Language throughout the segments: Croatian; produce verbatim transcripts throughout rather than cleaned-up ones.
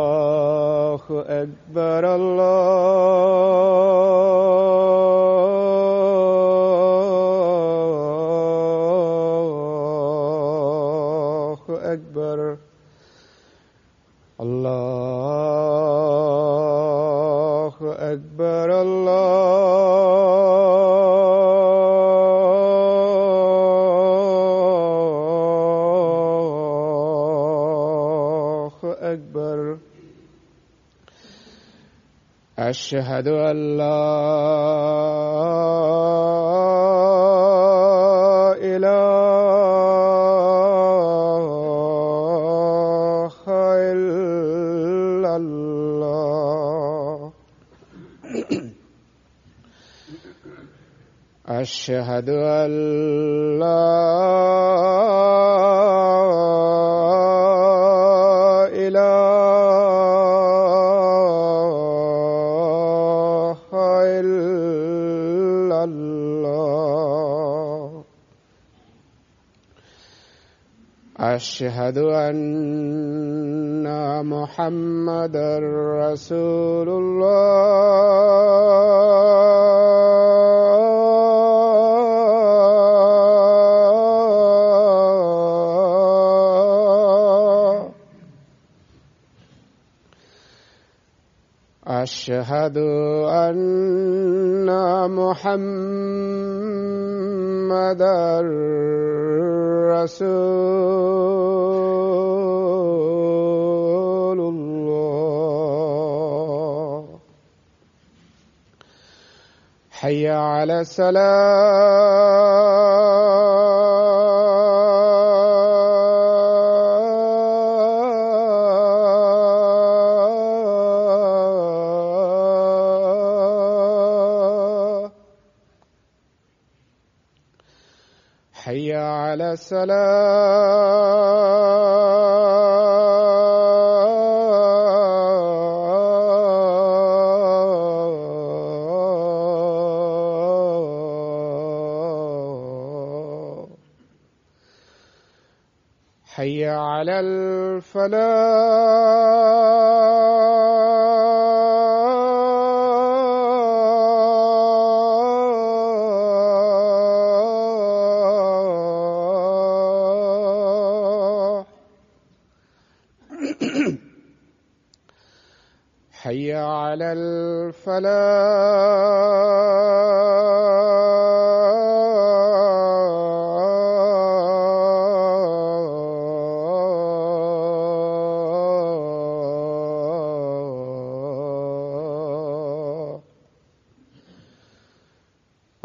Allahu Akbar, Allahu Akbar, Allahu Akbar, أشهد أن لا إله إلا الله أشهد أن لا أشهد أن محمدًا رسول الله أشهد أن محمدًا رسول الله حي على الصلاة حي على الصلاة حي على الفلاح حي على الفلاح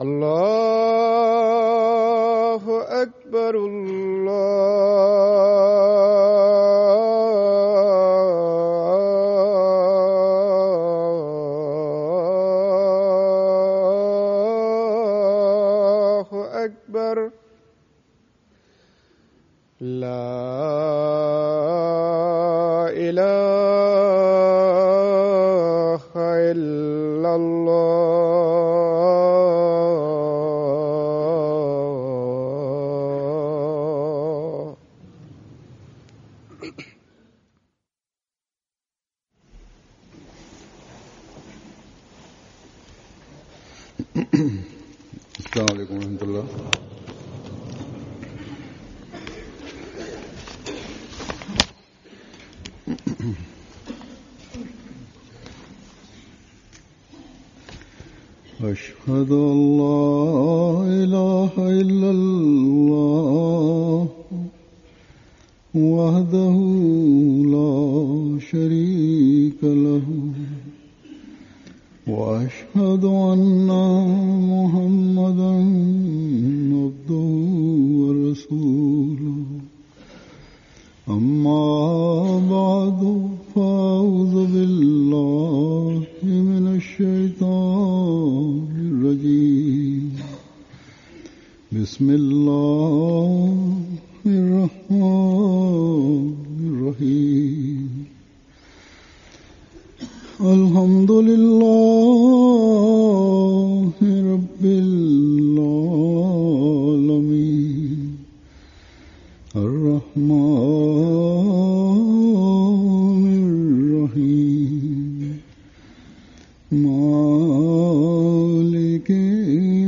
الله أكبر الله أكبر لا إله إلا الله السلام عليكم ورحمة الله. أشهد أن لا إله إلا الله وحده لا شريك له وأشهد أن محمدا عبده ورسوله أما بعد فأعوذ بالله من الشيطان الرجيم بسم الله الرحمن الرحيم الحمد لله رب العالمين الرحمن الرحيم مالك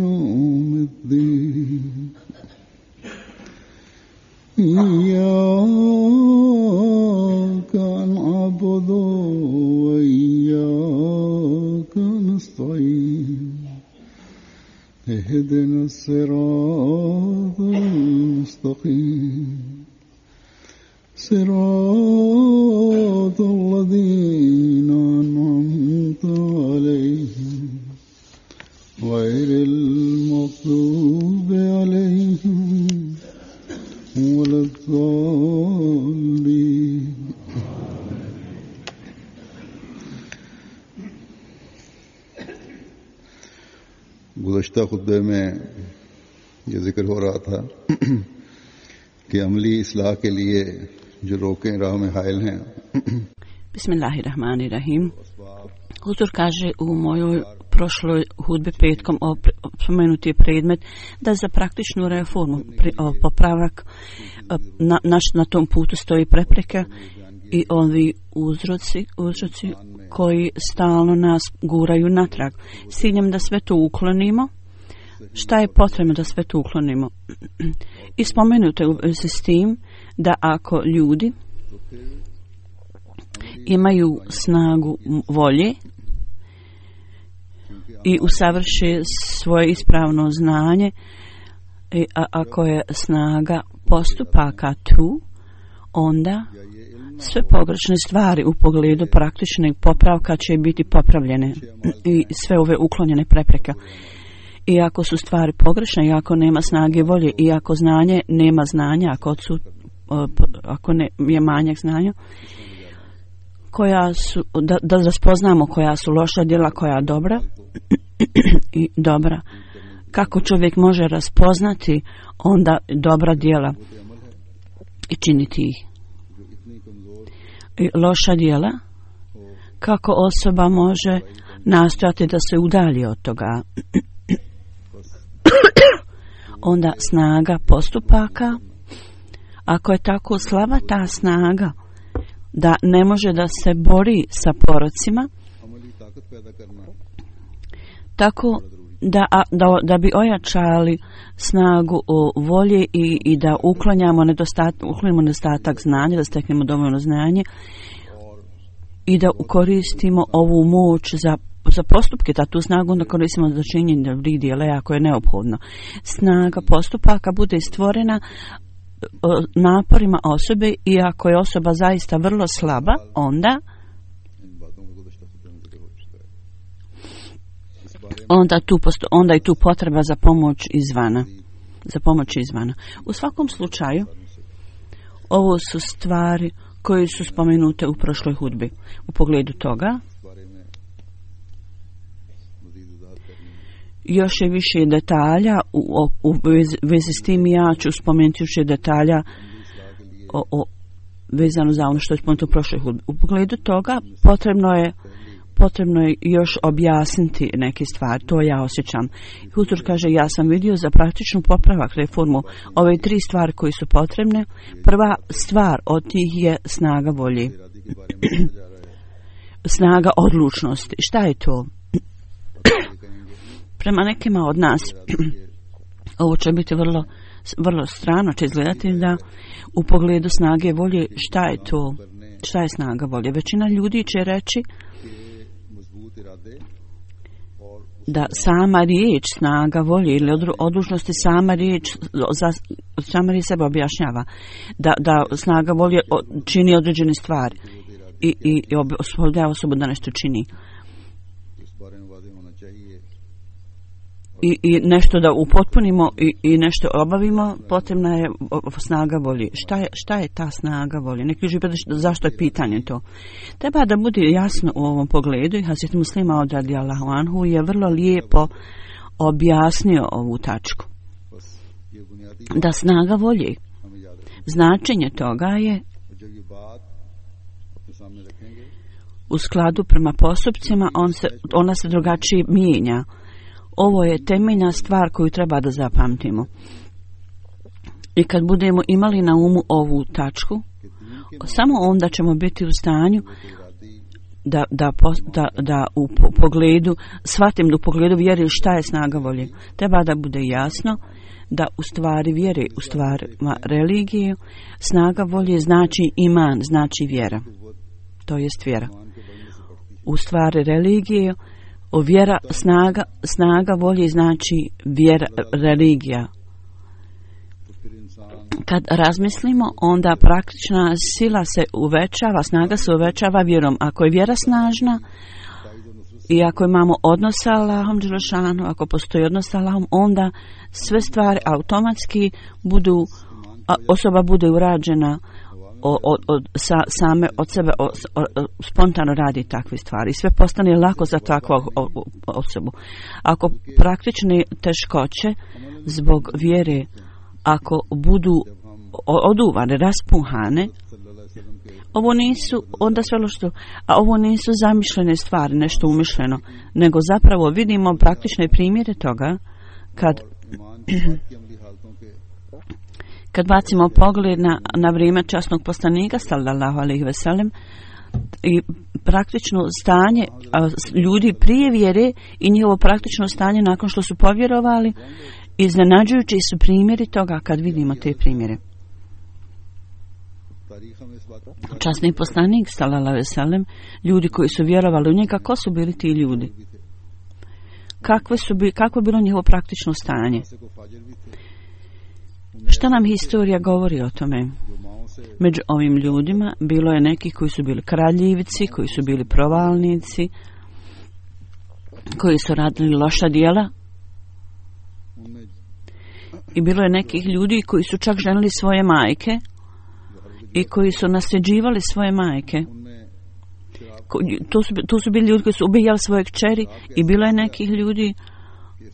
يوم الدين إياك نعبد وإياك نستعين اهدنا الصراط المستقيم صراط الذين أنعمت عليهم غير المغضوب عليهم ولا الضالين गुज़श्ता खुतबे में ये जिक्र हो रहा था कि अमली इस्लाह के लिए जो रोकें राह में हायल हैं. Bismillahirrahmanirrahim. Huzur kaže u mojoj prošloj hudbi petkom spomenuti je predmet da za praktičnu reformu, popravak na, naš, na tom putu stoji prepreke i ovi uzroci, uzroci koji stalno nas guraju natrag. S ciljem da sve to uklonimo. Šta je potrebno da sve to uklonimo? I spomenuto je u vezi s tim da ako ljudi imaju snagu volje i usavrše svoje ispravno znanje, i a, ako je snaga postupaka tu, onda sve pogrešne stvari u pogledu praktičnog popravka će biti popravljene i sve ove uklonjene prepreke. I ako su stvari pogrešne, i ako nema snage volje, i ako znanje nema znanja, ako, su, ako ne, je manjak znanja, koja su, da, da raspoznamo koja su loša djela, koja dobra i dobra. Kako čovjek može raspoznati onda dobra djela i činiti ih? I loša djela, kako osoba može nastojati da se udalji od toga? Onda snaga postupaka, ako je tako slaba ta snaga da ne može da se bori sa porocima, tako da, da, da bi ojačali snagu volje i, i da uklanjamo nedostatak, uklanjamo nedostatak znanja, da steknemo dovoljno znanje i da koristimo ovu moć za, za postupke, da tu snagu onda koristimo za činjenje dobrih djela ako je neophodno. Snaga postupaka bude stvorena naporima osobe i ako je osoba zaista vrlo slaba, onda onda tu posto, onda je tu potreba za pomoć izvana, za pomoć izvana. U svakom slučaju ovo su stvari koje su spomenute u prošloj hudbi. U pogledu toga još je više detalja u, u vezi, vezi s tim, ja ću spomenuti više detalja o, o, vezano za ono što je spomenuto u prošloj hudbi. U pogledu toga potrebno je potrebno je još objasniti neke stvari, to ja osjećam. Huzur kaže, ja sam vidio za praktičnu popravak reformu ove tri stvari koje su potrebne. Prva stvar od tih je snaga volje. Snaga odlučnosti. Šta je to? Prema nekima od nas ovo će biti vrlo, vrlo strano, će izgledati da u pogledu snage volje, šta je to? Šta je snaga volje? Većina ljudi će reći da sama riječ snaga volje ili odlučnosti sama riječ za, sama riječ sebe objašnjava da, da snaga volje čini određene stvari i, i, i osposobljava osobu da nešto čini. i, i nešto da upotpunimo i, i nešto obavimo, potrebna je snaga volje. Šta je, šta je ta snaga volje? Neki ljudi pitaju zašto je pitanje to. Treba da bude jasno u ovom pogledu i Hazret Muslima radijallahu anhu je vrlo lijepo objasnio ovu tačku. Da snaga volje, značenje toga je u skladu prema postupcima, on se, ona se drugačije mijenja. Ovo je temeljna stvar koju treba da zapamtimo. I kad budemo imali na umu ovu tačku, samo onda ćemo biti u stanju da, da, da, da u pogledu, shvatim da u pogledu vjere šta je snaga volje. Treba da bude jasno da u stvari vjere, u stvarima religije, snaga volje znači iman, znači vjera. To jest vjera. U stvari religije, o vjera, snaga, snaga volje znači vjera, religija. Kad razmislimo, onda praktična sila se uvećava, snaga se uvećava vjerom. Ako je vjera snažna i ako imamo odnos sa Allahom dželešanu, ako postoji odnos sa Allahom, onda sve stvari automatski budu, osoba bude urađena od, od, od, sa, same od sebe, o, o, spontano radi takve stvari. Sve postane lako za takvu osobu. Ako praktične teškoće zbog vjere, ako budu oduvane, raspuhane, ovo nisu, onda sve što, a ovo nisu zamišljene stvari, nešto umišljeno, nego zapravo vidimo praktične primjere toga kad kad bacimo pogled na, na vrijeme časnog poslanika sallallahu alejhi ve sellem i praktično stanje a, ljudi prije vjere i njihovo praktično stanje nakon što su povjerovali, iznenađujući su primjeri toga kad vidimo te primjere. Časni poslanik sallallahu alejhi ve sellem, ljudi koji su vjerovali u njega, ko su bili ti ljudi? Kakve su bi, kako je bilo njihovo praktično stanje? Šta nam historija govori o tome? Među ovim ljudima bilo je neki koji su bili kraljevci, koji su bili provalnici, koji su radili loša djela. I bilo je nekih ljudi koji su čak ženili svoje majke i koji su nasljeđivali svoje majke. Tu su, tu su bili ljudi koji su ubijali svoje kćeri i bilo je nekih ljudi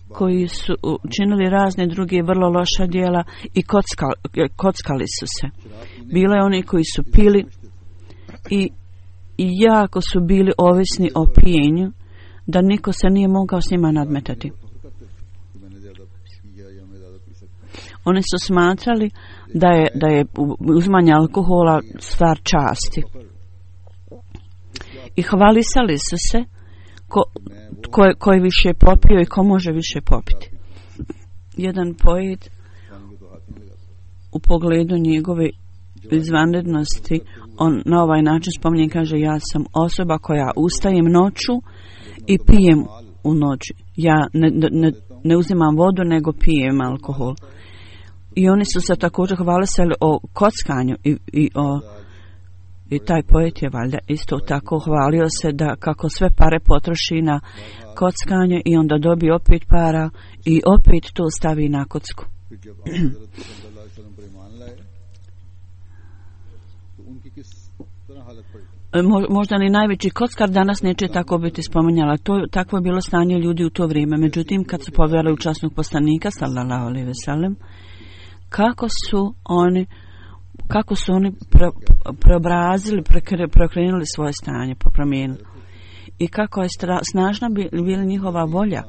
koji su činili razne druge vrlo loša djela i kockali, kockali su se. Bilo je oni koji su pili i, i jako su bili ovisni o pijenju, da niko se nije mogao s njima nadmetati. Oni su smatrali da je, da je uzimanje alkohola stvar časti. I hvalisali su se ko, ko, ko je više popio i ko može više popiti. Jedan poet u pogledu njegove izvanrednosti, on na ovaj način spominje, kaže: ja sam osoba koja ustajem noću i pijem u noći. Ja ne, ne, ne uzimam vodu, nego pijem alkohol. I oni su se također hvalisali o kockanju i, i o i taj poet je valjda isto tako hvalio se da kako sve pare potroši na kockanje i onda dobije opet para i opet to stavi na kocku. Možda ni najveći kockar danas neće tako biti spominjala. To, takvo je bilo stanje ljudi u to vrijeme. Međutim, kad su povjerili u časnog poslanika sallallahu alejhi ve sellem, kako su oni kako su oni pre, preobrazili, prekre, preokrenuli svoje stanje, popromijenili. I kako je stra, snažna bila njihova volja,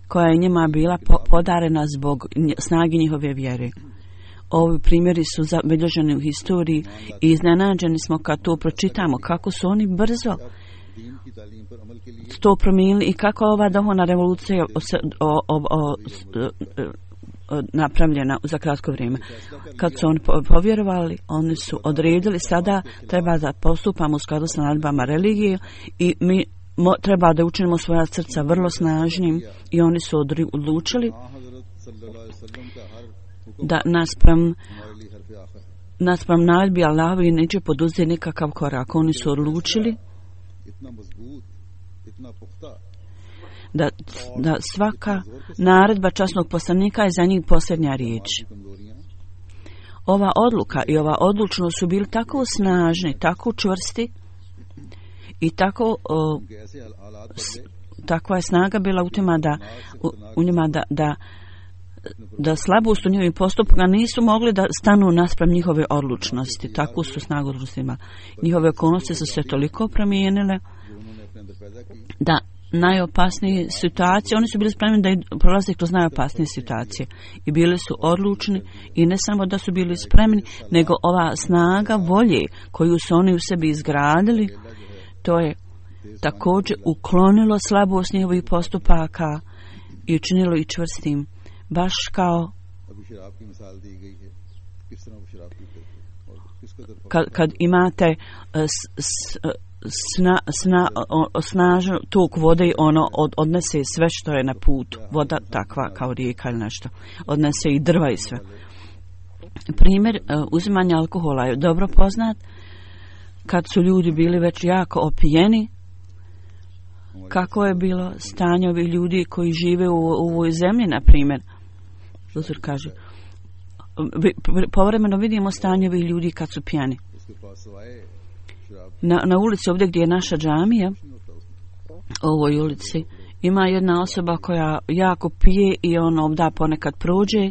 koja je njima bila po, podarena zbog snage njihove vjere. Ovi primjeri su zabilježeni u historiji i iznenađeni smo kad to pročitamo, kako su oni brzo to promijenili i kako ova duhovna revolucija o, o, o, o, napravljena za kratko vrijeme. Kad su oni povjerovali, oni su odredili sada treba da postupamo u skladu sa naredbama religije i mi mo, treba da učinimo svoja srca vrlo snažnim i oni su odlučili da naspram naspram naredbi Allahovi neće poduzeti nikakav korak. Oni su odlučili da, da svaka naredba časnog poslanika je za njih posljednja riječ. Ova odluka i ova odlučnost su bili tako snažni, tako čvrsti i tako o, s, takva je snaga bila u tima da u, u njima da, da da slabost u njihovim postupima nisu mogli da stanu naspram njihove odlučnosti. Takvu su snagu odlučnostima. Njihove okolnosti su se toliko promijenile da najopasnije situacije, oni su bili spremni da prolaze kroz najopasnije situacije i bili su odlučni i ne samo da su bili spremni, nego ova snaga volje koju su oni u sebi izgradili, to je također uklonilo slabost njihovih postupaka i učinilo ih čvrstim. Baš kao kad, kad imate s, s, sna, sna, snažan tok vode, ono od, odnese sve što je na putu. Voda takva kao rijeka ili nešto. Odnese i drva i sve. Primjer uzimanja alkohola je dobro poznat. Kad su ljudi bili već jako opijeni, kako je bilo stanje ovih ljudi koji žive u, u ovoj zemlji, na primjer. Uzor kaže, povremeno vidimo stanje ovih ljudi kad su pijani. Na, na ulici ovdje gdje je naša džamija, u ovoj ulici, ima jedna osoba koja jako pije i on ovdje ponekad prođe.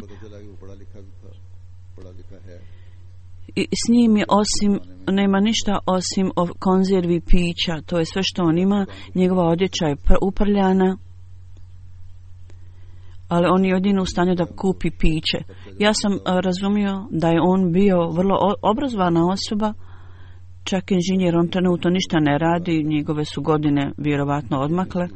I s njim je osim, nema ništa osim konzervi pića, to je sve što on ima, njegova odjeća je uprljana, ali on je jedino u stanju da kupi piće. Ja sam razumio da je on bio vrlo obrazovana osoba, čak inženjer, on trenutno ništa ne radi, njegove su godine vjerovatno odmakle.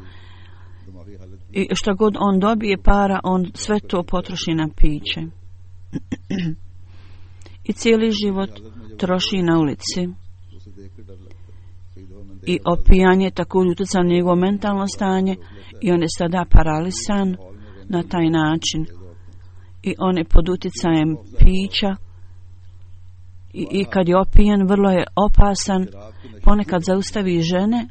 I što god on dobije para, on sve to potroši na piće. I cijeli život troši na ulici. I opijanje također utjeca na njegovo mentalno stanje i on je sada paralisan na taj način. I on je pod utjecajem pića i, i kad je opijen vrlo je opasan. Ponekad zaustavi žene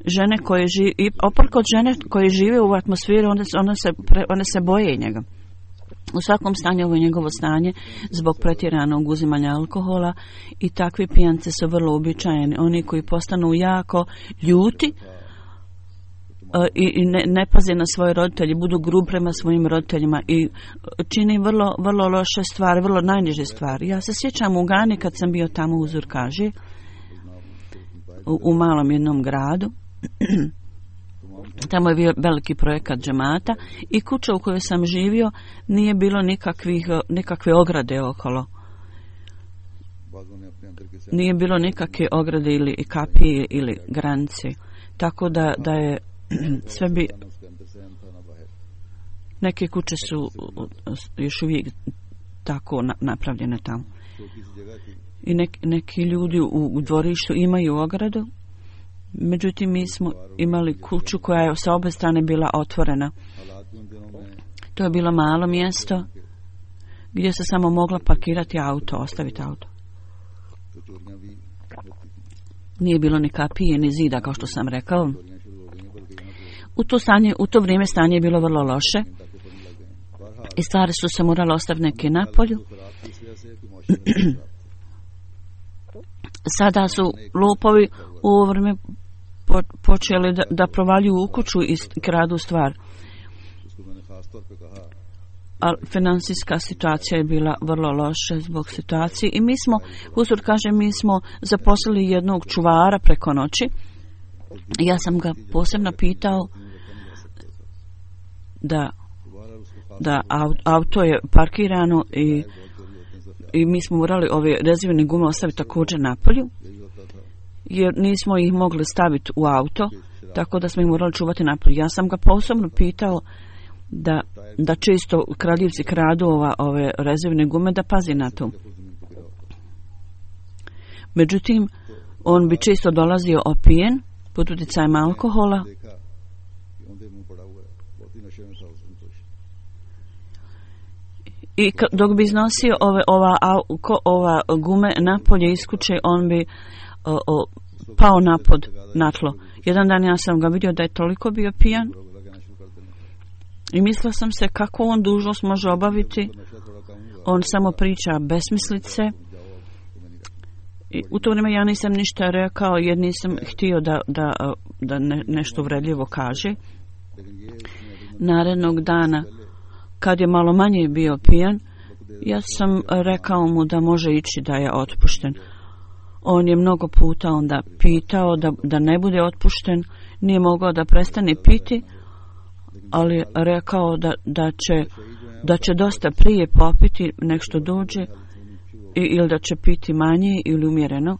žene koje žive i oprkos žene koje žive u atmosferi, one, one, se, one se boje njega. U svakom stanju ovo je njegovo stanje zbog pretjeranog uzimanja alkohola i takvi pijance su vrlo uobičajeni. Oni koji postanu jako ljuti uh, i, i ne, ne paze na svoje roditelje, budu grub prema svojim roditeljima i čini vrlo, vrlo loše stvari, vrlo najniže stvari. Ja se sjećam u Gani kad sam bio tamo u Zurkaži, u, u malom jednom gradu. Tamo je bio veliki projekat džemata i kuća u kojoj sam živio nije bilo nikakvih, nikakve ograde okolo. Nije bilo nikakve ograde ili kapije ili granice. Tako da, da je sve bi... Neke kuće su još uvijek tako napravljene tamo. I nek, neki ljudi u, u dvorištu imaju ogradu. Međutim, mi smo imali kuću koja je sa obe strane bila otvorena. To je bilo malo mjesto gdje se samo mogla parkirati auto, ostaviti auto. Nije bilo ni kapije, ni zida, kao što sam rekao. U to, stanje, u to vrijeme stanje je bilo vrlo loše i stvari su se morale ostaviti neke na polju. Sada su lopovi u ovo vrijeme počeli da, da provaljuju u kuću i kradu stvar. A financijska situacija je bila vrlo loša zbog situacije i mi smo, uzor kaže, mi smo zaposlili jednog čuvara preko noći. Ja sam ga posebno pitao da, da auto je parkirano i, i mi smo morali ove rezervne gume ostaviti također na polju, jer nismo ih mogli staviti u auto, tako da smo ih morali čuvati napolju. Ja sam ga posebno pitao da, da često kradljivci kradu ova, ove rezervne gume, da pazi na to. Međutim, on bi često dolazio opijen pod utjecajem alkohola i dok bi iznosio ove, ova, ova gume napolje iz kuće, on bi o, o, pao napod na tlo Jedan dan ja sam ga vidio da je toliko bio pijan i mislila sam se kako on dužnost može obaviti. On samo priča besmislice. I u to vrijeme ja nisam ništa rekao jer nisam htio da, da, da ne, nešto uvredljivo kaže. Narednog dana, kad je malo manje bio pijan, ja sam rekao mu da može ići, da je otpušten. On je mnogo puta onda pitao da, da ne bude otpušten, nije mogao da prestane piti, ali rekao da, da, će, da će dosta prije popiti nek što dođe i, ili da će piti manje ili umjereno,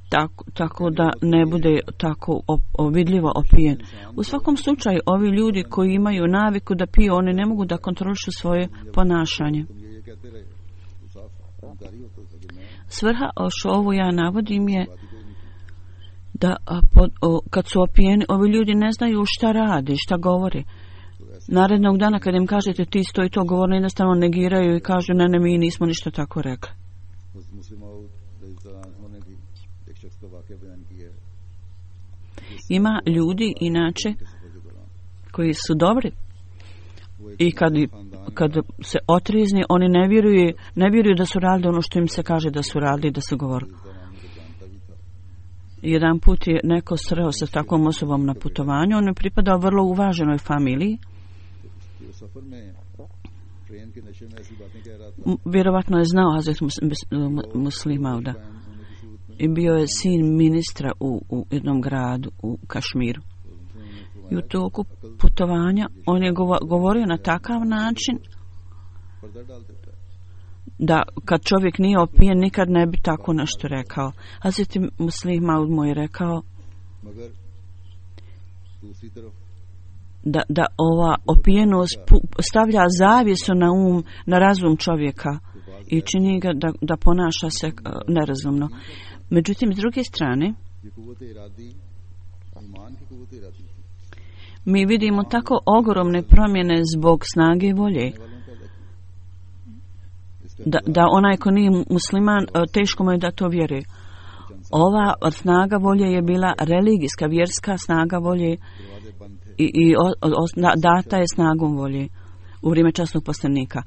tako, tako da ne bude tako op, vidljivo opijen. U svakom slučaju, ovi ljudi koji imaju naviku da piju, oni ne mogu da kontrolišu svoje ponašanje. Svrha što ovo ja navodim je da pod, o, kad su opijeni, ovi ljudi ne znaju šta radi, šta govori. Narednog dana kad im kažete ti stoji to govorno, jednostavno negiraju i kažu ne, ne, mi nismo ništa tako rekli. Ima ljudi inače koji su dobri i kad, kad se otrizni, oni ne vjeruju, ne vjeruju da su radili ono što im se kaže da su radili, da su govorili. Jedan put je neko sreo sa takvom osobom na putovanju, on je pripadao vrlo uvaženoj familiji. Vjerovatno je znao Hazret Muslih Mauda i bio je sin ministra u, u jednom gradu u Kašmiru. I u toku putovanja on je govorio na takav način da kad čovjek nije opijen nikad ne bi tako nešto rekao. Hazret Muslih Maud mu je rekao da, da ova opijenost stavlja zavjesu na um, na razum čovjeka i čini ga da, da ponaša se uh, nerazumno. Međutim, s druge strane, mi vidimo tako ogromne promjene zbog snage volje. Da, da onaj ko nije musliman, teško mu je da to vjeruje. Ova snaga volje je bila religijska, vjerska snaga volje i, i o, o, data je snagom volje u vrijeme časnog poslanika.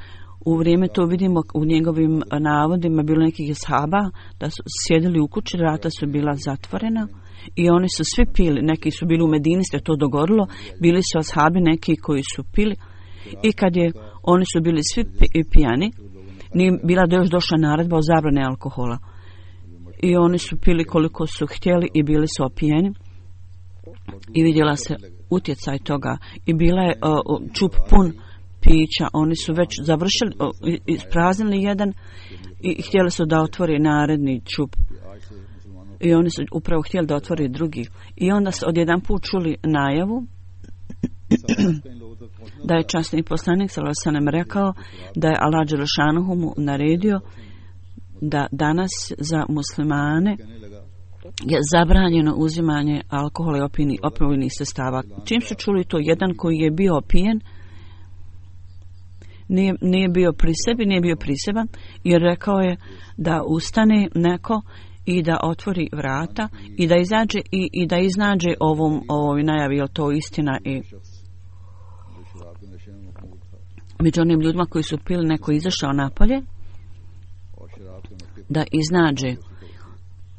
U vrijeme to vidimo u njegovim navodima bilo nekih ashaba da su sjedili u kući, vrata su bila zatvorena i oni su svi pili. Neki su bili u Medini, se to dogodilo, bili su ashabi neki koji su pili i kad je, oni su bili svi pijani, nije bila da još došla naredba o zabrane alkohola. I oni su pili koliko su htjeli i bili su opijeni. I vidjela se utjecaj toga. I bila je uh, čup pun pića. Oni su već završili, uh, ispraznili jedan i htjeli su da otvori naredni čup. I oni su upravo htjeli da otvori drugi. I onda su odjedan put čuli najavu da je časni poslanik sallallahu alejhi ve sellem rekao da je Allah dželle šanuhu mu naredio da danas za muslimane je zabranjeno uzimanje alkohola i opijnih, opojnih sredstava. Čim su čuli to, jedan koji je bio opijen nije, nije bio pri sebi, nije bio priseban jer rekao je da ustane neko i da otvori vrata i da izađe i, i da iznađe ovom, ovoj najavi, je to istina. I među onim ljudima koji su pili, neko izašao napolje da iznađe.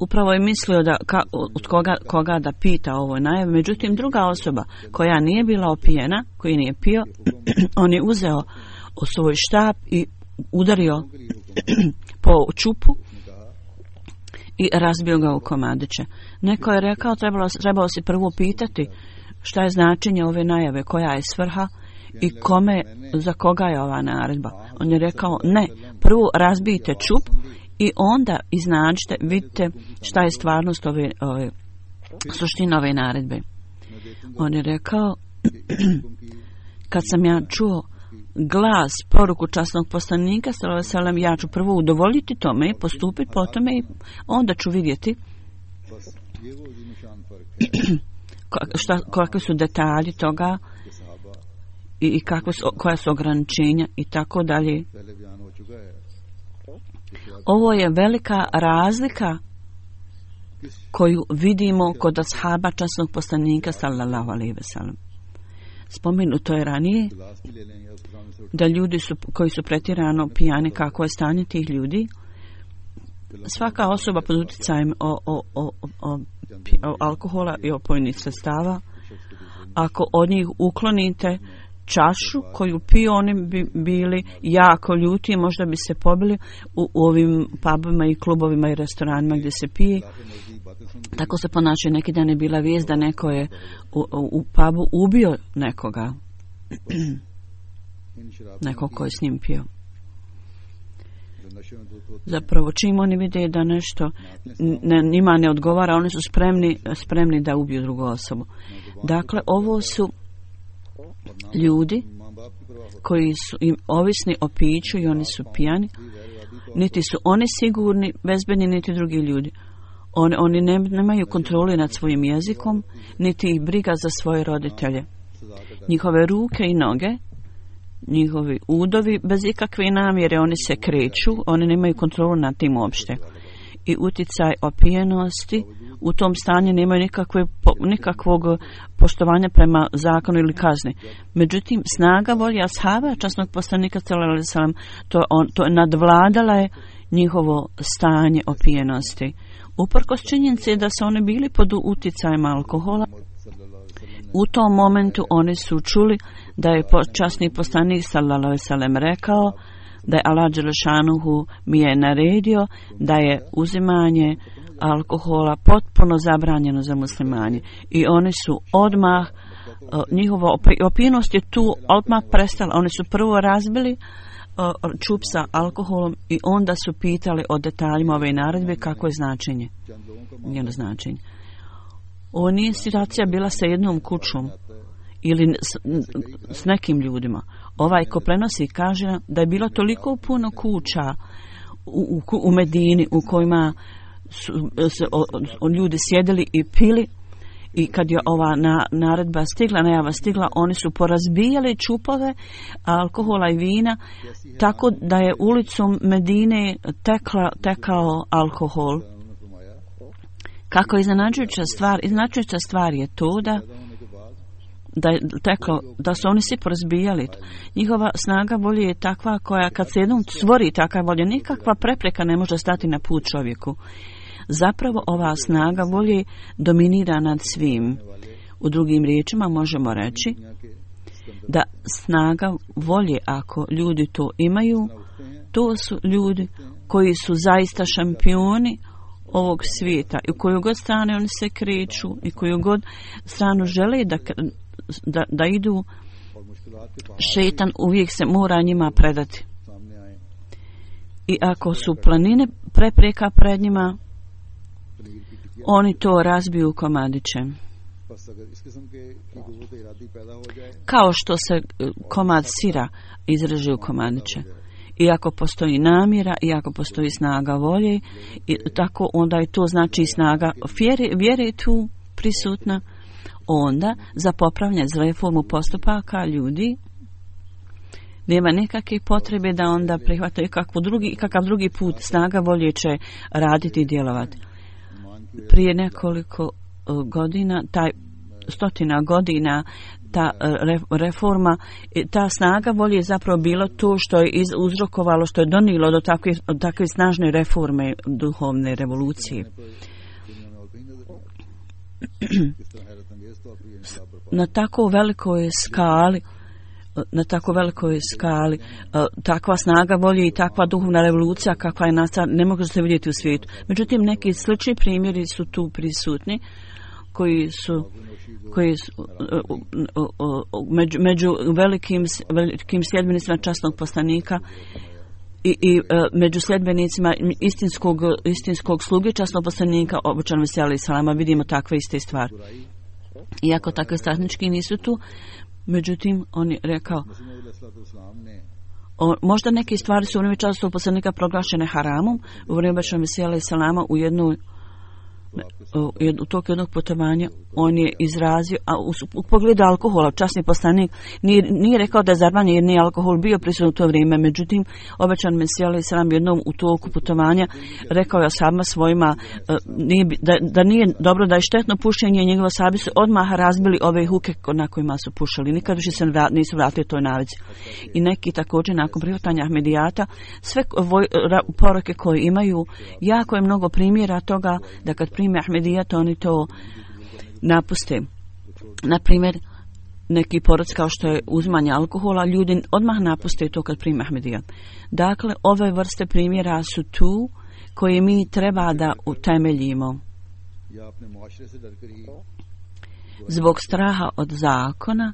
Upravo je mislio da ka, od koga, koga da pita ovoj najavi. Međutim, druga osoba koja nije bila opijena, koji nije pio, on je uzeo svoj štap i udario po čupu i razbio ga u komadiće. Neko je rekao, trebalo, trebalo si prvo pitati šta je značenje ove najave, koja je svrha i kome, za koga je ova naredba. On je rekao, ne, prvo razbijte čup i onda iznađite, vidite šta je stvarnost ove, ove suština ove naredbe. On je rekao, kad sam ja čuo glas, poruku časnog poslanika, sallallahu alejhi ve sellem, ja ću prvo udovoljiti tome, postupiti po tome i onda ću vidjeti šta, kakvi su detalji toga i, i kakve su, koja su ograničenja i tako dalje. Ovo je velika razlika koju vidimo kod ashaba časnog poslanika sallallahu alejhi ve sellem. Spomenuto je ranije da ljudi su, koji su pretjerano pijani, kako je stanje tih ljudi. Svaka osoba pod utjecajem o, o, o, o, o alkohola i opojnih sredstava, ako od njih uklonite čašu koju piju, oni bi bili jako ljuti i možda bi se pobili u, u ovim pubovima i klubovima i restoranima gdje se pije. Tako se ponašaju. Neki dan je bila vijest da neko je u, u, u pubu ubio nekoga. Neko ko je s njim pio. Zapravo čim oni vide da nešto ne, njima ne odgovara, oni su spremni, spremni da ubiju drugu osobu. Dakle, ovo su ljudi koji su im ovisni o piću i oni su pijani. Niti su oni sigurni, bezbedni, niti drugi ljudi. Oni, oni ne, nemaju kontrole nad svojim jezikom, niti ih briga za svoje roditelje. Njihove ruke i noge, njihovi udovi, bez ikakve namjere oni se kreću, oni nemaju kontrolu nad tim uopšte. I utjecaj opijenosti u tom stanju nemaju nikakve, nikakvog poštovanja prema zakonu ili kazni. Međutim, snaga volje ashaba časnog poslanika sallallahu alejhi ve sellem, to, on, to nadvladala je njihovo stanje opijenosti. Uprkos činjenici da su oni bili pod utjecajem alkohola, u tom momentu oni su čuli da je časni poslanik sallallahu alejhi ve sellem rekao da je Allah dželešanuhu mi je naredio da je uzimanje alkohola potpuno zabranjeno za muslimane. I oni su odmah, njihova opijenost je tu odmah prestala. Oni su prvo razbili čup sa alkoholom i onda su pitali o detaljima ove naredbe kako je značenje. Njeno značenje. Ovo nije situacija bila sa jednom kućom ili s, s nekim ljudima. Ovaj ko prenosi kaže da je bilo toliko puno kuća u, u, u Medini u kojima su se, o, o, ljudi sjedili i pili, i kad je ova na, naredba stigla, najava stigla, oni su porazbijali čupove alkohola i vina, tako da je ulicom Medine tekla, tekao alkohol. Kako je iznenađujuća stvar, iznenađujuća stvar je to da da je teklo, da su oni svi porazbijali. Njihova snaga volje je takva koja kad se jednom stvori takva volja, nikakva prepreka ne može stati na put čovjeku. Zapravo ova snaga volje dominira nad svim. U drugim riječima možemo reći da snaga volje, ako ljudi to imaju, to su ljudi koji su zaista šampioni ovog svijeta i u koju god strane oni se kreću i koju god stranu žele da, da, da idu, šetan uvijek se mora njima predati. I ako su planine prepreka pred njima, oni to razbiju komadiće. Kao što se komad sira izreže u komadiće. I ako postoji namjera, i ako postoji snaga volje, i tako onda je to znači snaga vjere, vjere je tu prisutna, onda za popravljanje, za reformu postupaka ljudi nema nekakve potrebe da onda prihvataju kakav drugi, kakav drugi put. Snaga volje će raditi i djelovati. Prije nekoliko godina, taj stotina godina, ta reforma, ta snaga volje je zapravo bilo to što je uzrokovalo, što je donijelo do takve, do takve snažne reforme duhovne revolucije. Na tako velikoj skali na tako velikoj skali takva snaga volje i takva duhovna revolucija kakva je nastala ne može se vidjeti u svijetu. Međutim, neki slični primjeri su tu prisutni koji su koji su među, među velikim, velikim sljedbenicima časnog poslanika i, i među sljedbenicima istinskog, istinskog sluge časnog poslanika obučanog Mesija alejhi selama vidimo takve iste stvari. Iako takve stratnički nisu tu, međutim, on je rekao, o, možda neke stvari su u vrijeme časnog poslanika proglašene haramom, u vrijeme obučanog Mesija alejhi selama u jednoj u toku jednog putovanja on je izrazio, a u, u pogledu alkohola, časni poslanik nije, nije rekao da je zabranjen jer nije alkohol bio prisutan u to vrijeme, međutim obećan Mesija alejhi selam jednom u toku putovanja rekao je ashabima svojima nije, da, da nije dobro, da je štetno pušenje, njegovi ashabi su odmah razbili ove huke na kojima su pušali, nikad više se nisu vratili toj navici. I neki također nakon prihvatanja Ahmedijata sve voj, ra, poroke koje imaju, jako je mnogo primjera toga da kad prime Ahmedijat oni to napuste. Na primjer, neki poroci kao što je uzimanje alkohola, ljudi odmah napuste to kad prime Ahmedijat. Dakle, ove vrste primjera su tu koje mi treba da utemeljimo. Zbog straha od zakona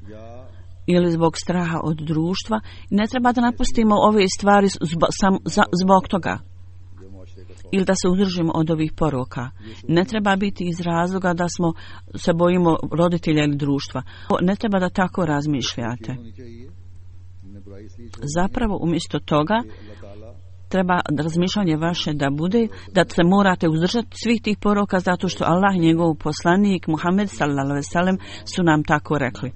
ili zbog straha od društva, ne treba da napustimo ove stvari zbog, sam, za, zbog toga ili da se uzdržimo od ovih poroka. Ne treba biti iz razloga da smo se bojimo roditelja ili društva. Ne treba da tako razmišljate. Zapravo umjesto toga treba razmišljanje vaše da bude da se morate uzdržati svih tih poroka zato što Allah i njegov poslanik Muhammed sallallahu alejhi ve sellem su nam tako rekli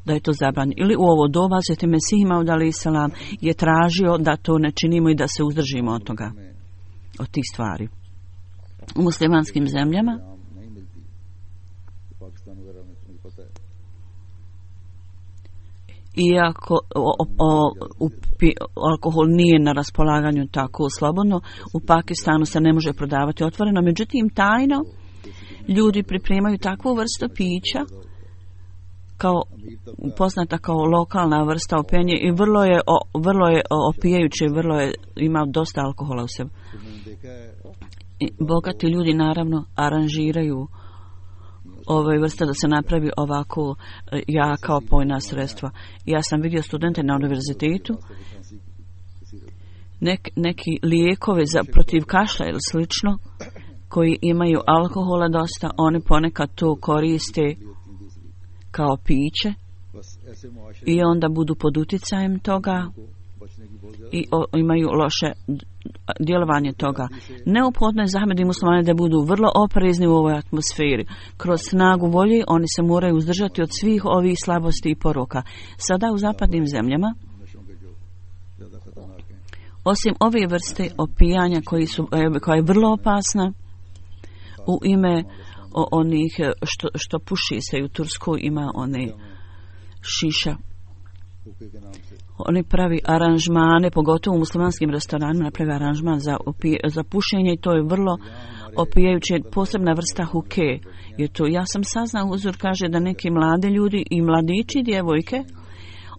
da je to zabranjeno. Ili u ovo doba Sveti Mesih Maud alejhi selam je tražio da to ne činimo i da se uzdržimo od toga, od tih stvari. U muslimanskim zemljama iako o, o, o, pi, alkohol nije na raspolaganju tako slobodno, u Pakistanu se ne može prodavati otvoreno, međutim tajno ljudi pripremaju takvu vrstu pića kao poznata kao lokalna vrsta opijenja i vrlo je o, vrlo je opijajuće, vrlo je ima dosta alkohola u sebi. I bogati ljudi naravno aranžiraju ove vrste da se napravi ovako jaka opojna sredstva. Ja sam vidio studente na univerzitetu, nek, neki lijekovi za protiv kašlja ili slično koji imaju alkohola dosta, oni ponekad to koriste kao piće i onda budu pod utjecajem toga i o, imaju loše djelovanje toga. Neophodno je za Ahmedi muslimane da budu vrlo oprezni u ovoj atmosferi. Kroz snagu volje oni se moraju uzdržati od svih ovih slabosti i poroka. Sada u zapadnim zemljama, osim ove vrste opijanja koji su, koja je vrlo opasna, u ime o, onih što, što puši se u Turskoj ima one šiša. Oni pravi aranžmane, pogotovo u muslimanskim restoranima napravi aranžman za, opije, za pušenje i to je vrlo opijajuće, posebna vrsta huke. Jer to, ja sam saznao, uzor kaže da neki mladi ljudi i mladići i djevojke,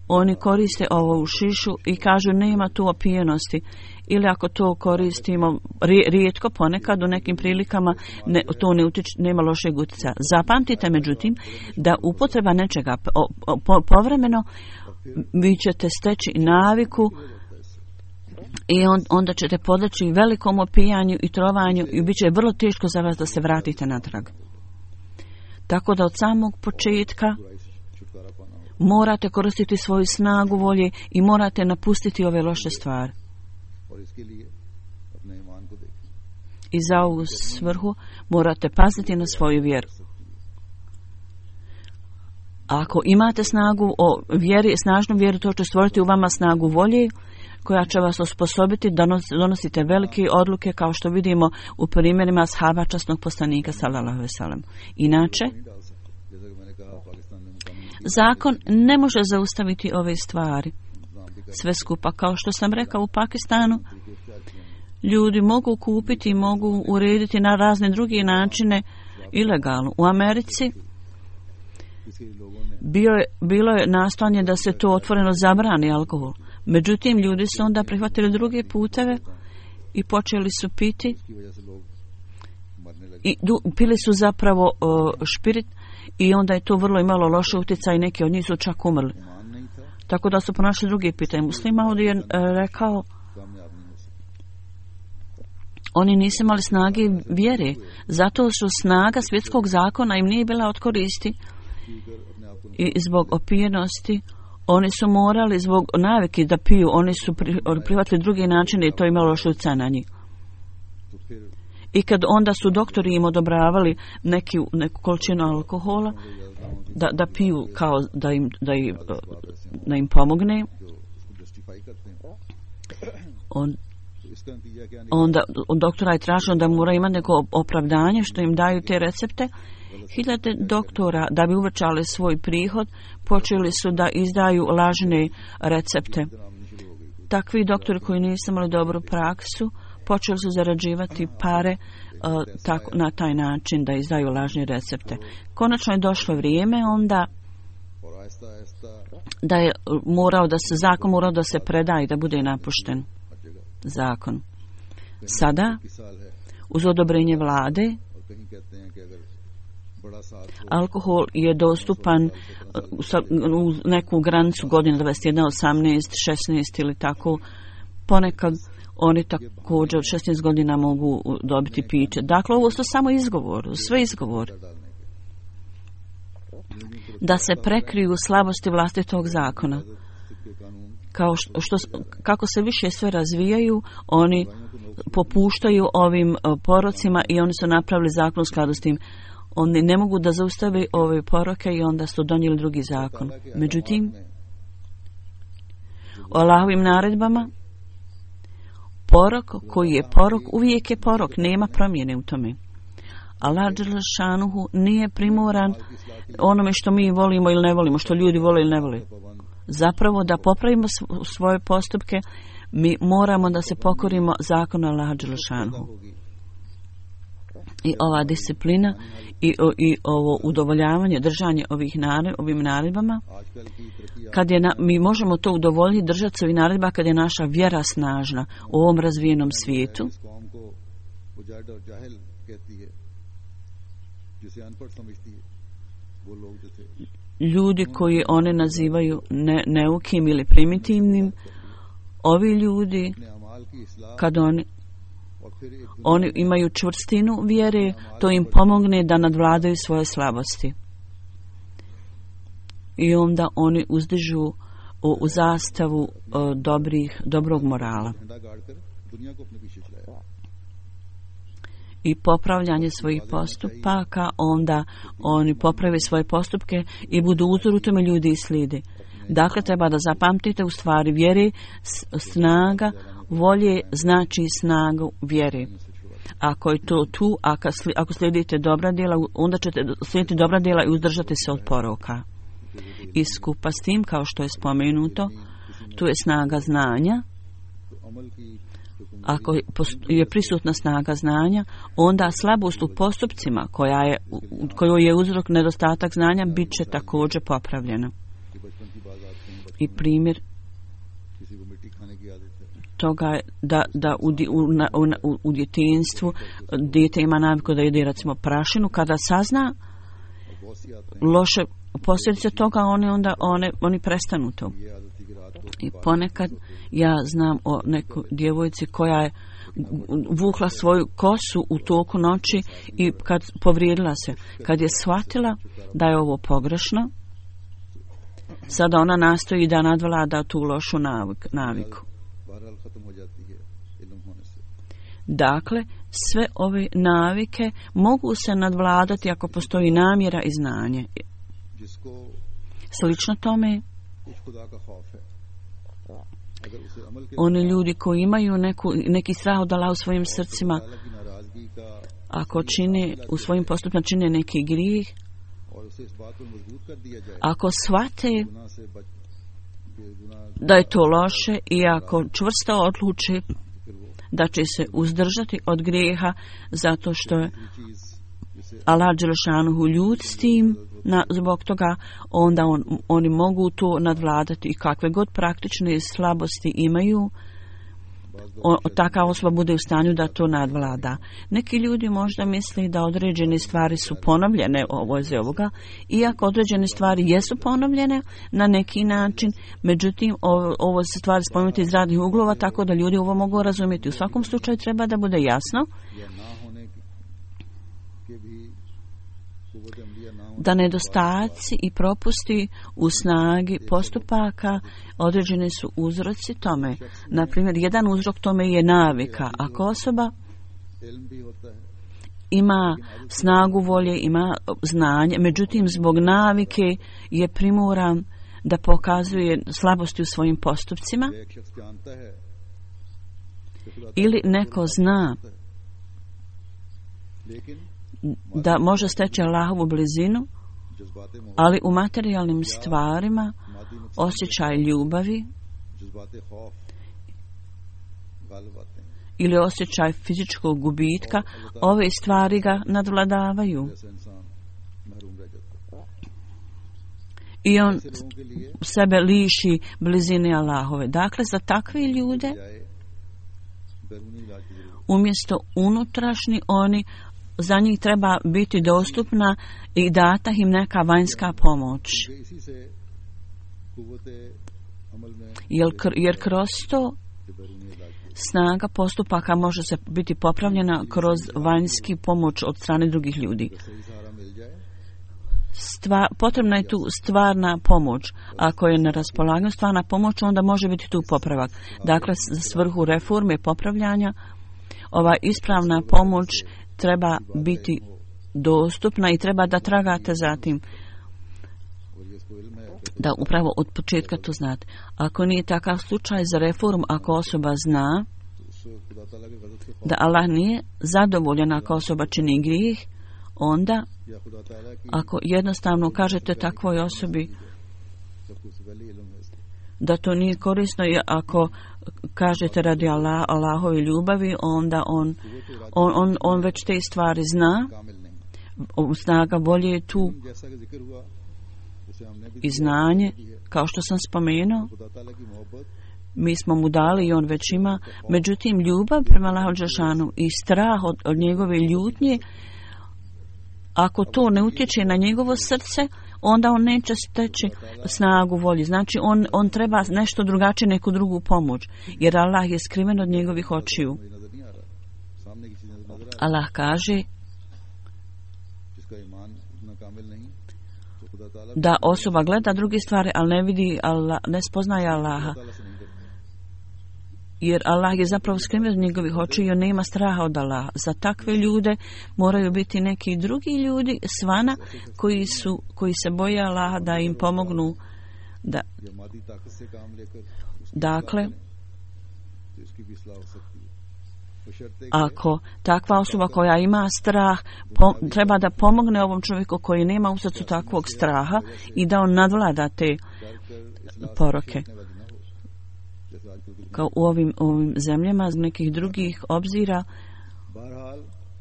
oni koriste ovu šišu i kažu nema tu opijenosti. Ili ako to koristimo rijetko, ponekad u nekim prilikama ne, to ne utiče, nema lošeg utjecaja. Zapamtite međutim da upotreba nečega po, po, povremeno vi ćete steći naviku i on, onda ćete podleći velikom opijanju i trovanju i bit će vrlo teško za vas da se vratite natrag. Tako da od samog početka morate koristiti svoju snagu volje i morate napustiti ove loše stvari. I za ovu svrhu morate paziti na svoju vjeru. Ako imate snagu o vjeri, snažnu vjeru, to će stvoriti u vama snagu volje koja će vas osposobiti da donosite velike odluke kao što vidimo u primjerima ashaba časnog poslanika sallallahu alejhi ve sellem. Inače, zakon ne može zaustaviti ove stvari. Sve skupa, kao što sam rekao, u Pakistanu ljudi mogu kupiti i mogu urediti na razne druge načine ilegalno. U Americi bio je, bilo je nastojanje da se to otvoreno zabrani alkohol. Međutim, ljudi su onda prihvatili druge puteve i počeli su piti i du, pili su zapravo uh, špirit i onda je to vrlo imalo loše utjecaj i neki od njih su čak umrli. Tako da su pronašli druge pitanje. Muslima ovdje je uh, rekao oni nisu imali snage vjere, zato što snaga svjetskog zakona im nije bila od koristi i zbog opijenosti oni su morali zbog navike da piju, oni su pri, prihvatili drugi način i to imalo loš utjecaj na njih. I kad onda su doktori im odobravali neki, neku količinu alkohola da, da piju kao da im, da im, da im pomogne, on, onda od doktora je traženo da mora imati neko opravdanje što im daju te recepte. Hiljade doktora, da bi uvećali svoj prihod, počeli su da izdaju lažne recepte. Takvi doktori koji nisu imali dobru praksu počeli su zarađivati pare uh, tako, na taj način da izdaju lažne recepte. Konačno je došlo vrijeme onda da je morao da se zakon morao da se preda i da bude napušten zakon. Sada uz odobrenje vlade alkohol je dostupan u neku granicu godina dvadeset jedan, osamnaest, šesnaest ili tako. Ponekad oni također od šesnaest godina mogu dobiti piće. Dakle, ovo su samo izgovor, sve izgovor. Da se prekriju slabosti vlastitog zakona. Kao što, što, kako se više sve razvijaju, oni popuštaju ovim porocima i oni su napravili zakon u skladu s tim. Oni ne mogu da zaustave ove poroke i onda su donijeli drugi zakon. Međutim, o Allahovim naredbama, porok koji je porok, uvijek je porok, nema promjene u tome. Allah dželešanuhu nije primoran onome što mi volimo ili ne volimo, što ljudi vole ili ne vole. Zapravo, da popravimo svoje postupke, mi moramo da se pokorimo zakonu Allaha dželešanuhu. I ova disciplina i, o, i ovo udovoljavanje, držanje ovih nared, ovim naredbama, kad je na, mi možemo to udovoljiti, držati se ovih naredba kad je naša vjera snažna u ovom razvijenom svijetu. Ljudi koji one nazivaju ne, neukim ili primitivnim, ovi ljudi, kad oni Oni imaju čvrstinu vjere, to im pomogne da nadvladaju svoje slabosti. I onda oni uzdižu u, u zastavu o, dobrih, dobrog morala. I popravljanje svojih postupaka, onda oni poprave svoje postupke i budu uzor u tome, ljudi i slijede. Dakle, treba da zapamtite u stvari vjere, snaga volje znači snagu vjere. Ako je to tu, ako slijedite dobra djela, onda ćete slijediti dobra djela i uzdržati se od poroka. I skupa s tim, kao što je spomenuto, tu je snaga znanja. Ako je prisutna snaga znanja, onda slabost u postupcima, koja je, kojoj je uzrok nedostatak znanja, bit će također popravljena. I primjer toga je da, da u, u, u, u djetinjstvu dijete ima naviku da jede recimo prašinu, kada sazna loše posljedice toga, oni onda one, oni prestanu to. I ponekad ja znam o nekoj djevojci koja je vukla svoju kosu u toku noći i kad povrijedila se, kad je shvatila da je ovo pogrešno, sada ona nastoji da nadvlada tu lošu navik, naviku. Dakle, sve ove navike mogu se nadvladati ako postoji namjera i znanje. Slično tome, oni ljudi koji imaju neku, neki strah od Allaha u svojim srcima, ako čine u svojim postupima čine neki grijeh, ako shvate da je to loše i ako čvrsto odluče da će se uzdržati od grijeha zato što je Allah dželešanuhu ljud s tim, na, zbog toga onda on, oni mogu to nadvladati i kakve god praktične slabosti imaju, o, taka osoba bude u stanju da to nadvlada. Neki ljudi možda misle da određene stvari su ponovljene ovo iz ovoga, iako određene stvari jesu ponovljene na neki način, međutim ovo, ovo se stvari spomenuti iz radnih uglova, tako da ljudi ovo mogu razumjeti. U svakom slučaju treba da bude jasno da nedostaci i propusti u snagi postupaka određeni su uzroci tome. Naprimjer, jedan uzrok tome je navika. Ako osoba ima snagu volje, ima znanje, međutim zbog navike je primoran da pokazuje slabosti u svojim postupcima, ili neko zna da može steći Allahovu blizinu, ali u materijalnim stvarima osjećaj ljubavi ili osjećaj fizičkog gubitka, ove stvari ga nadvladavaju. I on sebe liši blizine Allahove. Dakle, za takve ljude, umjesto unutrašnji, oni, za njih treba biti dostupna i data im neka vanjska pomoć. Jer, jer kroz to snaga postupaka može se biti popravljena kroz vanjski pomoć od strane drugih ljudi. Stva, potrebna je tu stvarna pomoć. Ako je na raspolaganju stvarna pomoć, onda može biti tu popravak. Dakle, za svrhu reforme popravljanja, ova ispravna pomoć treba biti dostupna i treba da tragate za tim. Da upravo od početka to znate. Ako nije takav slučaj za reformu, ako osoba zna da Allah nije zadovoljan ako osoba čini grijeh, onda ako jednostavno kažete takvoj osobi da to nije korisno, i ako kažete radi Allah, Allahove ljubavi, onda on, on, on, on već te stvari zna, snaga volje je tu i znanje, kao što sam spomenuo, mi smo mu dali i on već ima, međutim ljubav prema Allahu dželešanu i strah od, od njegove ljutnje, ako to ne utječe na njegovo srce, onda on neće steći snagu volje. Znači on, on treba nešto drugačije, neku drugu pomoć, jer Allah je skriven od njegovih očiju. Allah kaže da osoba gleda druge stvari, ali ne vidi Allah, ne spoznaje Allaha. Jer Allah je zapravo skriven od njegovih očiju i on nema straha od Allaha. Za takve ljude moraju biti neki drugi ljudi svana koji, su, koji se boje Allaha da im pomognu. Da. Dakle, ako takva osoba koja ima strah po, treba da pomogne ovom čovjeku koji nema u srcu takvog straha i da on nadvlada te poroke. Kao u ovim, ovim zemljama z nekih drugih obzira,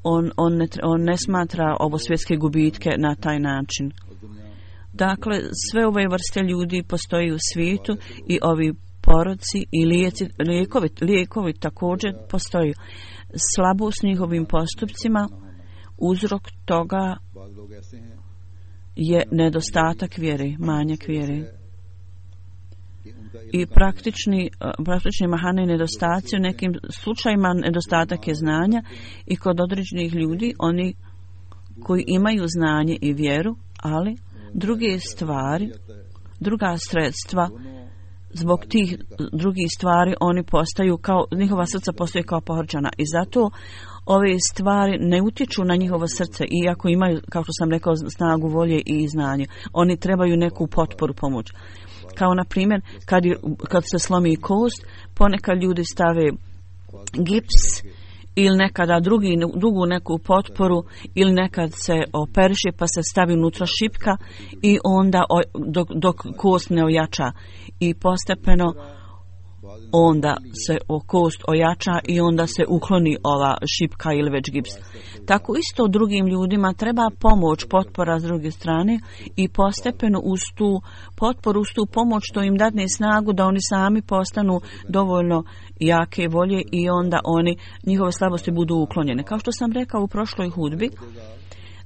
on, on, ne, on ne smatra ovo svjetske gubitke na taj način. Dakle, sve ove vrste ljudi postoji u svijetu i ovi poroci i lijeci, lijekovi, lijekovi također postoji. Slabost njihovim postupcima, uzrok toga je nedostatak vjere, manjak vjere. I praktični, praktični mahane nedostaci, u nekim slučajima nedostatak je znanja i kod određenih ljudi, oni koji imaju znanje i vjeru, ali druge stvari, druga sredstva, zbog tih drugih stvari oni postaju kao, njihova srca postaju kao pohorčana i zato ove stvari ne utječu na njihovo srce, iako imaju, kao što sam rekao, snagu volje i znanje. Oni trebaju neku potporu, pomoć. Kao na primjer, kad, je, kad se slomi kost, ponekad ljudi stave gips ili nekada drugi, drugu neku potporu ili nekad se operiše pa se stavi unutra šipka i onda dok, dok kost ne ojača i postepeno onda se o kost ojača i onda se ukloni ova šipka ili već gips. Tako isto drugim ljudima treba pomoć, potpora s druge strane i postepeno uz tu potporu, uz tu pomoć to im dadne snagu da oni sami postanu dovoljno jake volje i onda oni, njihove slabosti budu uklonjene. Kao što sam rekao u prošloj hudbi,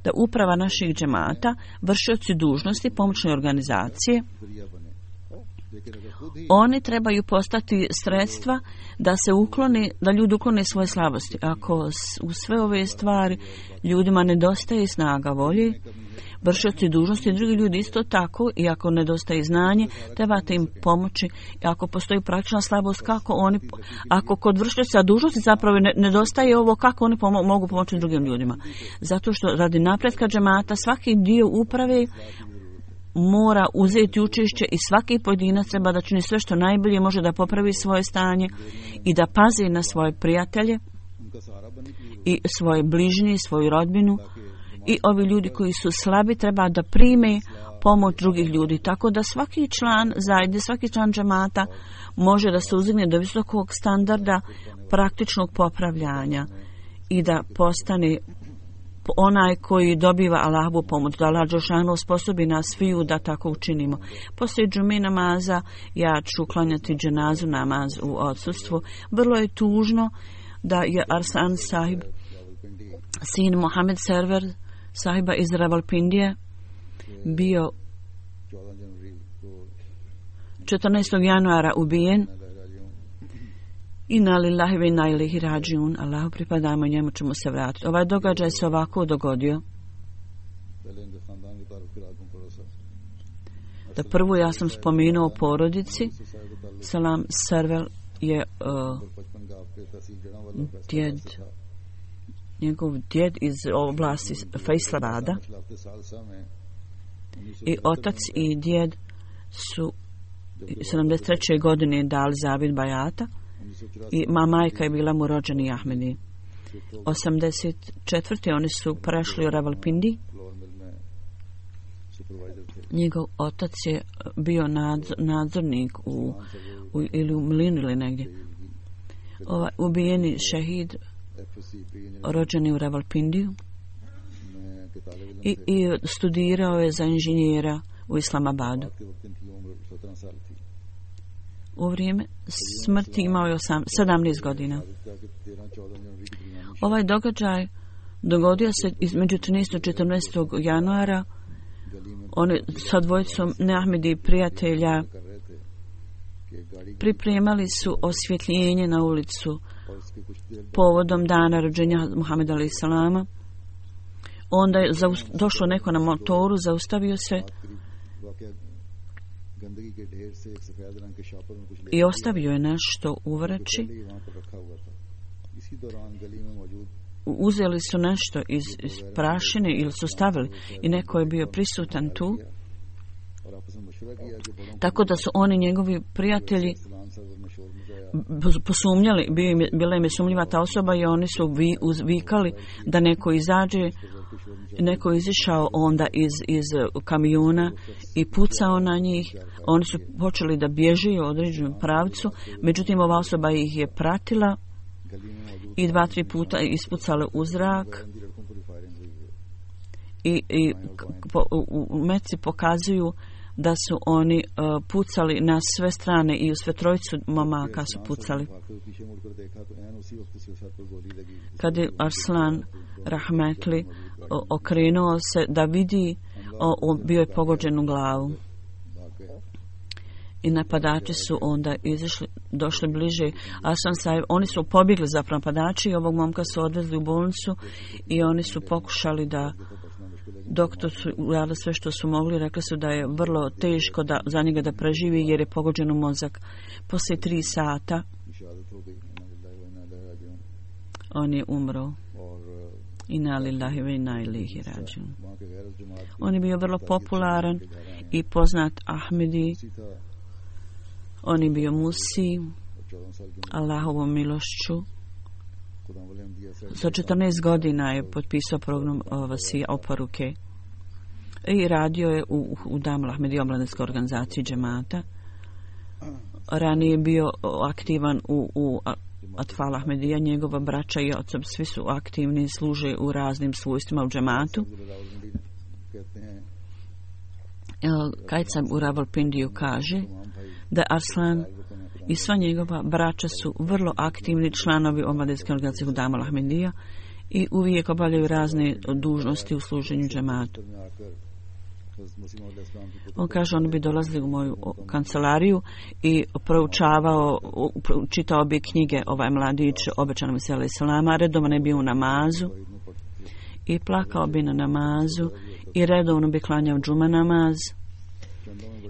da uprava naših džemata, vršioci dužnosti, pomoćne organizacije, oni trebaju postati sredstva da se uklone, da ljudi uklone svoje slabosti. Ako u sve ove stvari ljudima nedostaje snaga volje, vršioci dužnosti, drugi ljudi isto tako, i ako nedostaje znanje, trebate im pomoći. I ako postoji praktična slabost, kako oni, ako kod vršioca dužnosti zapravo ne, nedostaje ovo, kako oni pomo- mogu pomoći drugim ljudima. Zato što radi napretka džemata svaki dio uprave mora uzeti učešće i svaki pojedinac treba da čini sve što najbolje može da popravi svoje stanje i da pazi na svoje prijatelje i svoje bližnje, svoju rodbinu, i ovi ljudi koji su slabi treba da prime pomoć drugih ljudi, tako da svaki član zajednice, svaki član džemata može da se uzigne do visokog standarda praktičnog popravljanja i da postane onaj koji dobiva Allahovu pomoć, da Allah dželešanu sposobi nas sviju da tako učinimo. Poslije džume namaza ja ću klanjati dženazu namaz u odsustvu. Vrlo je tužno da je Arsan sahib, sin Mohamed Server sahiba iz Rawalpindije, bio četrnaestog januara ubijen. Inna lillahi wa inna ilaihi rađiun. Allahu pripadamo i njemu ćemo se vratiti. Ovaj događaj se ovako dogodio. Da prvo ja sam spomenuo porodici. Salam Servel je uh, djed, njegov djed iz oblasti Faisalabada, i otac i djed su sedamdeset treće godine dali zavid bajata, i ma majka je bila mu rođeni Ahmedi. osamdeset četvrte oni su prešli u Rawalpindi. Njegov otac je bio nadzor, nadzornik u, u, ili u Mlinu ili negdje. Ovaj ubijeni šehid rođeni u Rawalpindiju i, i studirao je za inženjera u Islamabadu. U vrijeme smrti imao je sedamnaest godina. Ovaj događaj dogodio se između trinaestog i četrnaestog januara. Oni sa dvojicom neahmedi prijatelja pripremali su osvjetljenje na ulicu povodom dana rođenja Muhameda alejhi selama. Onda je zaust- došlo neko na motoru, zaustavio se i ostavio je nešto u vreći. Uzeli su nešto iz, iz prašine ili su stavili, i neko je bio prisutan tu, tako da su oni, njegovi prijatelji, posumnjali, bila im je sumnjiva ta osoba, i oni su vi, uzvikali da neko izađe. Neko je izišao onda iz, iz kamiona i pucao na njih. Oni su počeli da bježe u određenom pravcu, međutim ova osoba ih je pratila i dva, tri puta ispucale u zrak, i, i po, u, u meci pokazuju da su oni uh, pucali na sve strane, i u sve trojicu momaka su pucali. Kad je Arslan Rahmetli okrenuo se da vidi, o, o, bio je pogođen u glavu. I napadači su onda izašli, došli bliže. Asan Sahib, oni su pobjegli zapravo napadači, i ovog momka su odvezli u bolnicu, i oni su pokušali da, doktor su uradili sve što su mogli, rekli su da je vrlo teško da, za njega da preživi, jer je pogođen u mozak. Poslije tri sata on je umro. Inna lillahi wa inna ilaihi rađiun. On je bio vrlo popularan i poznat Ahmedi. On je bio musi Allahovom milošću. Sa četrnaest godina je potpisao program Vasija oporuke i radio je u, u Damul Ahmedi omladinskoj organizaciji džemata. Ranije je bio aktivan u, u Atfal Ahmedija, njegova braća i otac, svi su aktivni i služe u raznim svojstvima u džematu. Kajcam u Rawalpindiju kaže da Arslan i sva njegova braća su vrlo aktivni članovi omladinske organizacije u Damul Ahmedija i uvijek obavljaju razne dužnosti u služenju džematu. On kaže, oni bi dolazili u moju kancelariju i proučavao, čitao bi knjige, ovaj mladić, obećano mi se alejhi selama, redovno je bio u namazu i plakao bi na namazu i redovno bi klanjao džuma namaz.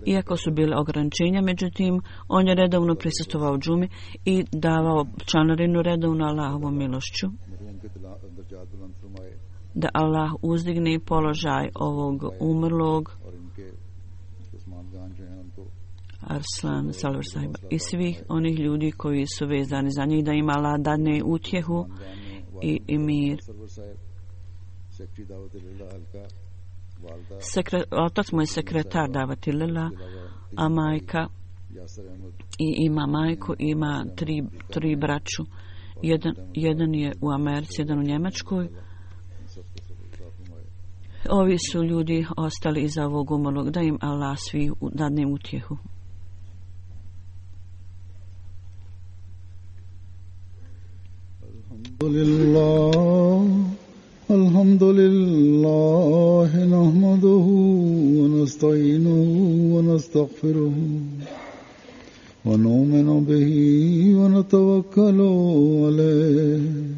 Iako su bile ograničenja, međutim, on je redovno prisustvovao džumi i davao članarinu redovno Allahovom milošću. Da Allah uzdigne položaj ovog umrlog Arslan Salvar sahiba i svih onih ljudi koji su vezani za njih, da im Allah dadne utjehu i, i mir. Sekre, otac mu je sekretar davati lila, a majka i ima majku, ima tri, tri braću. Jedan, jedan je u Americi, jedan u Njemačkoj. Ovi su ljudi ostali iza ovog umrlog, da im Allah svi dadne utjehu. Alhamdulillah, alhamdulillah, nahmaduhu wa nasta'inuhu wa nastaghfiruhu wa nu'minu bihi wa natawakkalu alayhi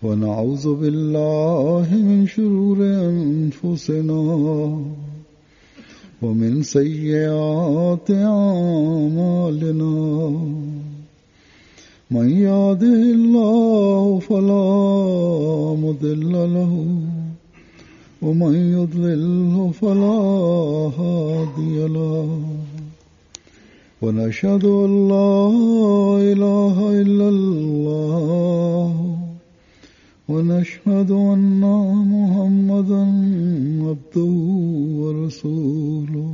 wa na'udhu billahi min shururi anfusina wa min sayyiati a'malina. من يهده الله فلا مضل له ومن يضلل فلا هادي له ونشهد أن لا إله إلا الله ونشهد أن محمدا عبده ورسوله.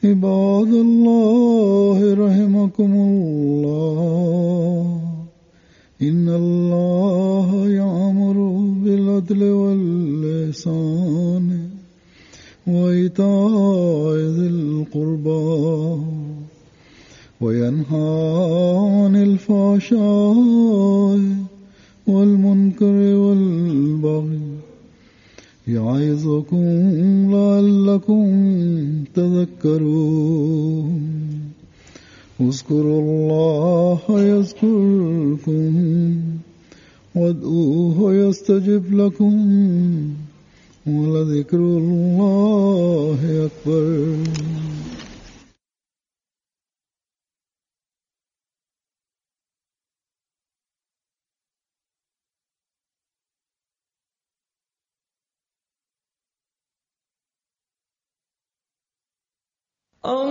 عباد الله رحمكم الله إن الله يأمر بالعدل والإحسان وإيتاء ذي القربى وينهى عن الفحشاء والمنكر والبغي يعظكم لعلكم تذكرون. اذكروا الله يذكركم وادعوه يستجب لكم ولذكر الله أكبر.